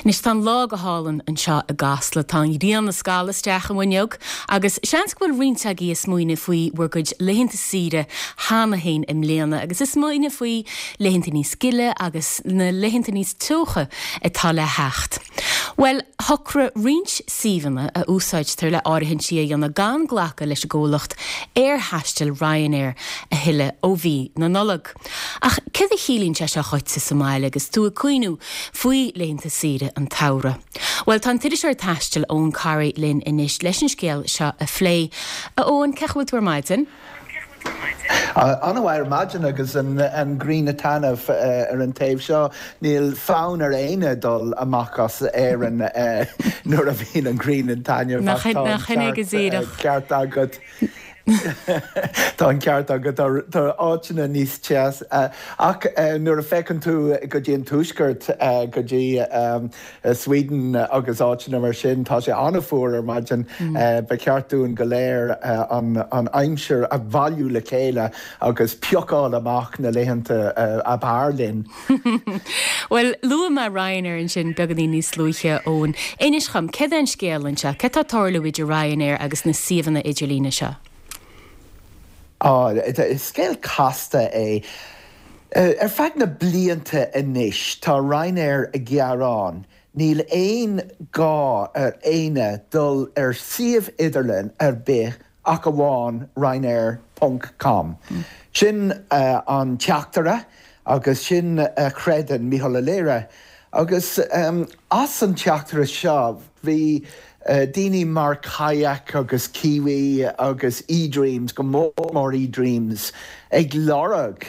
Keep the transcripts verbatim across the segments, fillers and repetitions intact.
Anois tá an lá go hálainn anseo i gCasla tá an ghrian ag scalladh isteach an bhfuinneog agus seans go bhfuil roinnt agaibh ag smaoineamh faoi bhur gcuid laethanta saoire cheana féin i mbliana agus ag smaoineamh faoi laethanta níos gile agus na laethanta níos teocha atá le theacht. Well, shocraigh roinnt suíomhanna a úsáidtear le áirithintí a dhéanamh gan glacadh leis an gcomhlacht aerthaistil Ryanair a thuilleadh ó mhí na Nollag. Ach cad a chiallaíonn sé seo dhuitse sa mbaile agus tú ag cuimhneamh faoi laethanta saoire an tsamhraidh. Well tá an t-iriseoir taistil Eoin Corry linn anois leis an scéal seo a phlé. A Eoin cén chaoi a bhfuil tú ar maidin? An-mhaith ar maidin agus an an ghrian ag taitneamh ar an taobh seo níl fonn ar éinne dul amach as Éirinn nuair a bhíonn an ghrian ag taitneamh ceart agat. Tá an ceart agat tá áiteanna níos teas ach nuair a fhéachann tú go dtí an tuaisceart go dtí Sweden agus áiteanna mar sin tá sé an-fhuar ar maidin ba cheart dúinn go léir an an aimsir a bhailiú le chéile agus piocáil amach na laethanta ab fhearr linn. Well luaigh mé Ryanair ansin beagáinín níos luaithe Eoin. Inis dom cad é an scéal anseo, cad tá ag tarlú idir Ryanair agus na suíomhanna idirlíne seo. Á is scéal casta é. Ar feadh na blianta anois tá Ryanair ag gearán, níl aon gá ar éinne dul ar suíomh idirlín ar bith ach amháin Ryanair ponc com. Sin an teachtaire agus sin a chreideann Micheál Ó Laoire. Agus as an teachtaire seo bhí daoine mar Kayak agus Kiwi agus eDreams go mór mór eDreams ag lorg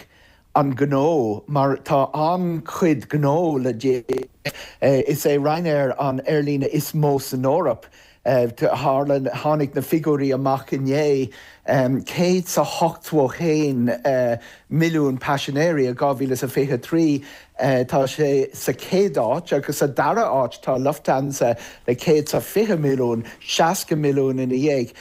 an gnó mar tá an-chuid gnó le déanamh. Is é Ryanair an aerlíne is mó san Eoraip. Tharla tháinig na figiúirí amach inné céad sa hochtó haon milliún paisinéirí i dhá mhíle is a fiche trí. Tá sé sa chéad áit agus sa dara áit tá Lufthansa le céad sa fiche milliún, seasca milliún ina dhiaidh.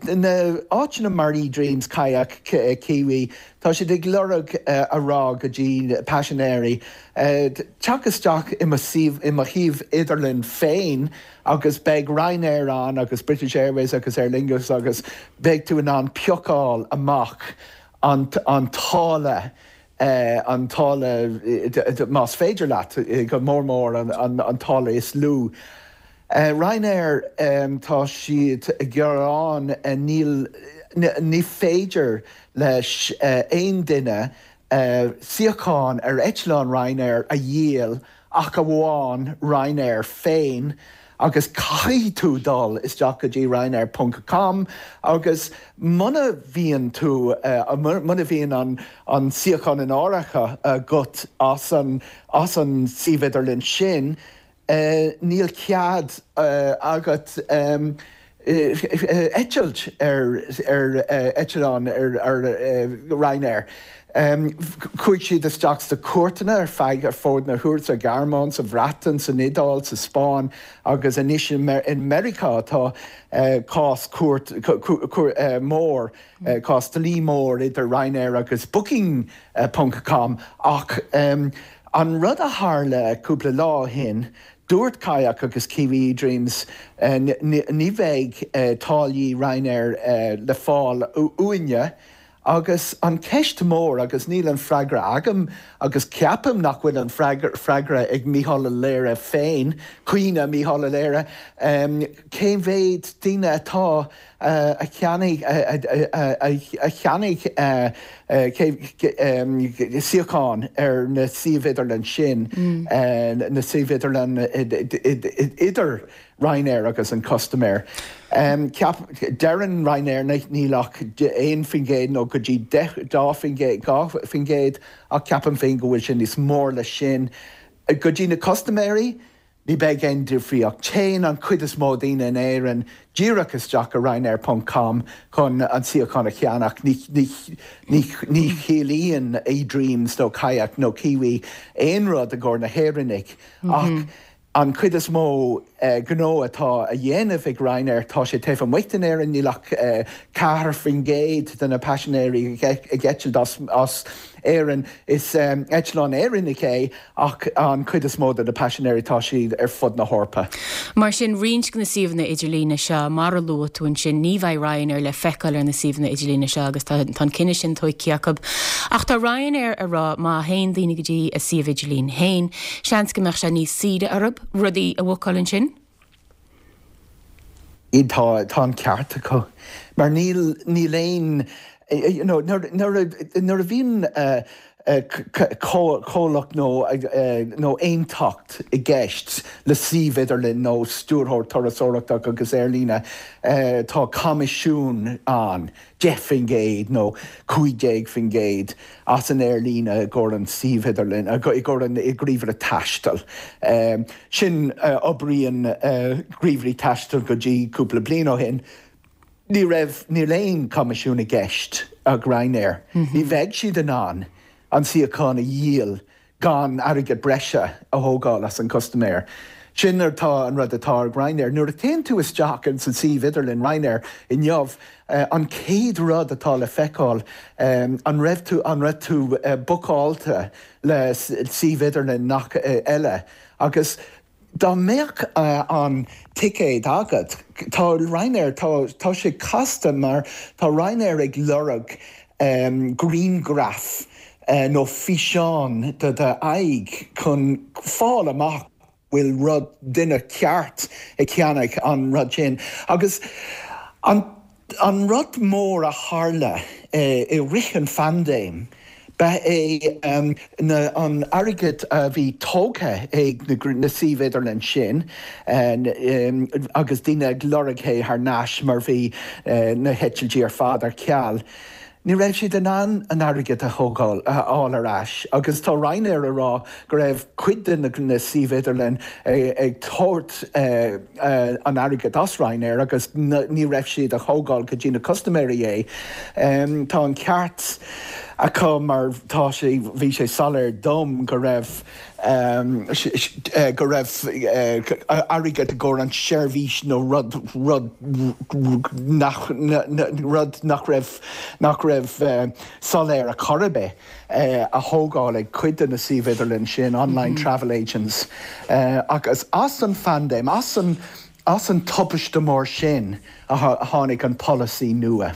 Na áiteanna mar eDreams, Kayak, Kiwi, tá siad ag lorg a rá go dtí paisinéirí teacht isteach i mo suíomh i mo shuíomh idirlín féin agus beidh Ryanair ann agus British Airways agus Aer Lingus agus beidh tú in ann piocáil amach an an táille an táille más féidir leat go mór mór an an an táille is lú. Ryanair tá siad ag gearán níl ní féidir leis aon duine suíochán ar eitleán Ryanair a dhíol ach amháin Ryanair féin agus caithfidh tú dul isteach go dtí Ryanair ponc com agus muna bhíonn tú muna bhíonn an an suíochán in áirithe agat as an as an suíomh idirlín sin, níl cead agat eitilt ar ar eitleán ar ar Ryanair. Chuaigh siad isteach sna cúirteanna ar feadh ar fud na hEorpa sa Ghearmáin, sa Bhreatain, san Iodáil, sa Spáinn agus anois i Meiriceá tá cás cúirt mór, cás dlí mór idir Ryanair agus Booking ponc com ach an rud a tharla cúpla lá ó shin, dúirt Kayak agus Kiwi eDreams ní bheidh táillí Ryanair le fáil uainne agus an ceist mór agus níl an freagra agam agus ceapaim nach bhfuil an freagra ag Micheál Ó Laoire féin, caoineadh Micheál Ó Laoire, cé mhéad daoine atá a cheannaigh a cheannaigh suíochán ar na suímh idirlín sin, na suímh idirlín idir Ryanair agus an custaiméir. Ceap, deireann Ryanair níl ach aon faoin gcéad nó go dtí deich, dhá faoin gcéad, dhá faoin gcéad ach ceapaim féin go bhfuil sé níos mór le sin. Go dtí na custaiméirí, ní bheidh aon difríocht. Téann an chuid is mó daoine in Éirinn díreach isteach ar Ryanair ponc com chun an suíochán a cheannach. Ní, ní, ní, ní chiallaíonn eDreams nó Kayak nó Kiwi aon rud i gcomhair na hÉireannaigh ach an chuid is mó gnó atá a dhéanamh ag Ryanair tá sé taobh amuigh d'Éirinn níl ach ceathair faoin gcéad de na paisinéirí ag eitilt as, as Éirinn is um, eitleán Éireannach é ach an chuid is mó de na paisinéirí tá siad ar fud na hEorpa. Mar sin roinnt de na suíomhanna idirlíne seo mar a luaigh tú ansin ní bheidh Ryanair le feiceáil ar na suíomhanna idirlíne seo agus tá an cinneadh sin tógtha acu. Ach tá Ryanair ag rá má théann daoine go dtí a suíomh idirlín féin, seans go mbeadh sé níos saoire orthu rudaí a bhuacáil ansin? Tá tá an ceart acu. Mar níl níl aon you know, nuair a bhíonn comhlacht nó nó aontacht i gceist le suíomh idirlín nó stiúrthóir turasóireachta agus aerlíne tá coimisiún ann deich faoin gcéad nó cúig déag faoin gcéad as an aerlíne i gcomhair an suíomh idirlín i gcomhair an gníomhaire taistil. Sin oibríonn gníomhairí taistil go dtí cúpla bliain ó shin. Ní raibh níl aon coimisiún i gceist ag Ryanair. Ní bheidh siad in ann an suíochán a dhíol gan airgead breise a thógáil as an custaiméir. Sin atá an rud atá ag Ryanair. Nuair a théann tú isteach in san suíomh idirlín Ryanair inniu an chéad rud atá le feiceáil an raibh tú an raibh tú bookáilte le suíomh idirlín nach eile agus Dá mbeadh an ticéad agat, tá Ryanair, tá tá sé casta mar tá Ryanair ag lorg grianghraf nó físeán de d'aghaidh chun fáil amach bhfuil rud duine ceart ag ceannach an rud sin. Agus an an rud mór a tharla i rith an phaindéim, Ba é an airgead a bhí tógtha ag na suímh idirlín sin agus daoine ag lorg é thar n-ais mar bhí na heitiltí ar fad ar ceal. Ní raibh siad in ann an airgead a thógáil, a fháil ar ais agus tá Ryanair ag rá go raibh cuid de na suímh idirlín ag tabhairt an airgead as Ryanair agus ní raibh siad a thógáil go dtí na custaiméirí é. Tá an ceart. acu mar tá sé, bhí sé soiléir dom go raibh, go raibh airgead i gcomhair an tseirbhís nó rud, rud nach, rud nach raibh, nach raibh soiléir ar chor ar bith a thógáil ag cuid de na suímh idirlín sin, online travel agents. Agus as an phaindéim, as an, as an tubaiste mór sin a tháinig an polasaí nua.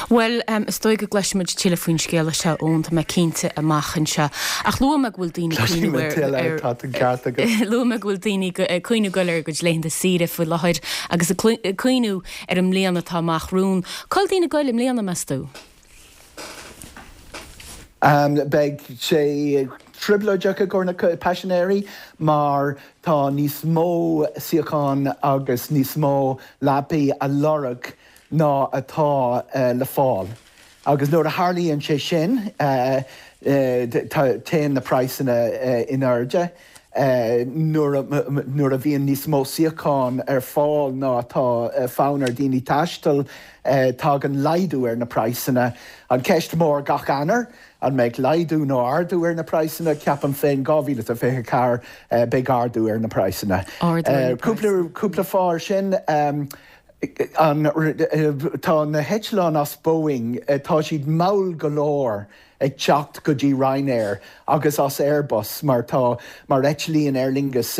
Bhuel, is dóigh go gcloisfimid tuilleadh faoin scéal seo Eoin, tá mé cinnte, amach anseo. Ach luaigh mé go bhfuil daoine ag cuimhneamh ar, ar, Tá an ceart agat. Luaigh mé go bhfuil daoine ag cuimhneamh dul ar a gcuid laethanta saoire faoi láthair agus ag cuimhneamh ar an mbliain atá amach romhainn. Cá bhfuil daoine ag goil i mbliana, meas tú? Beidh sé trioblóideach i gcomhair na paisinéirí mar tá níos mó suíochán agus níos mó leapaí a lorg ná atá le fáil. Agus nuair a tharlaíonn sé sin, téann na praghsanna in airde. Nuair a bhíonn níos mó suíochán ar fáil ná atá fonn ar daoine taisteal, tagann laghdú ar na praghsanna. An ceist mór gach Eanáir, an mbeidh laghdú nó ardú ar na praghsanna? Ceapaim féin dhá mhíle is a fiche a ceathair, beidh ardú ar na praghsanna. Cúpla cúpla fáth ar sin, an tá na heitleáin as Boeing, tá siad mall go leor ag teacht go dtí Ryanair agus as Airbus mar tá mar eitlíonn Aer Lingus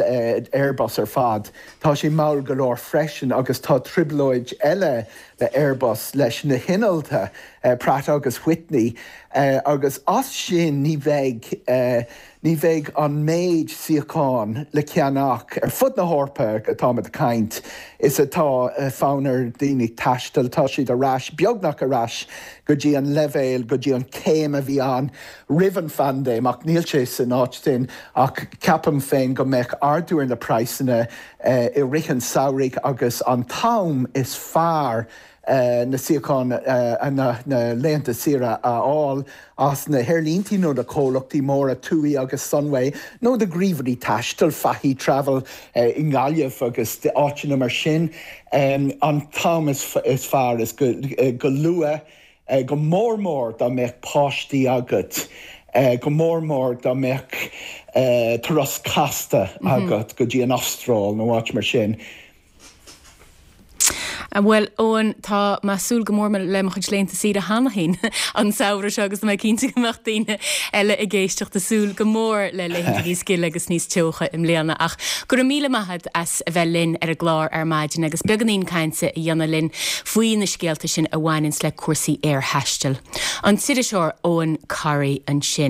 Airbus ar fad, tá sé mall go leor freisin agus tá trioblóid eile le Airbus leis na hinnealta Pratt agus Whitney agus as sin ní bheidh ní bheidh an méid suíochán le ceannach ar fud na hEorpa atáimid ag caint is atá fonn ar daoine taisteal. Tá siad ar ais, beagnach ar ais go dtí an leibhéal, go dtí an céim a bhí ann roimh an phaindéim ach níl sé san áit sin ach ceapaim féin go mbeidh ardú ar na praghsanna i rith an samhraidh agus an t-am is fearr na suíocháin, na laethanta saoire a fháil as na haerlíntí nó na comhlachtaí móra, TUI agus Sunway, nó do ghníomhairí taistil, Fahy Travel i nGaillimh agus áiteanna mar sin. An t-am is fearr is go luath, go mór mór dá mbeadh páistí agat. Go mór mór dá mbeadh turas casta agat go dtí an Astráil nó áit mar sin. Bhuel, Eoin, tá mé ag súil go mór le mo chuid laethanta saoire cheana féin an samhradh seo agus tá mé cinnte go mbeadh daoine eile ag éisteacht ag súil go mór le laethanta níos gile agus níos teocha i mbliana. Ach go raibh míle maith agat as a bheith linn ar an gclár ar maidin agus beagáinín cainte a dhéanamh linn faoi na scéalta sin a bhaineanns le cúrsaí aerthaistil. An t-iriseoir Eoin Corry ansin.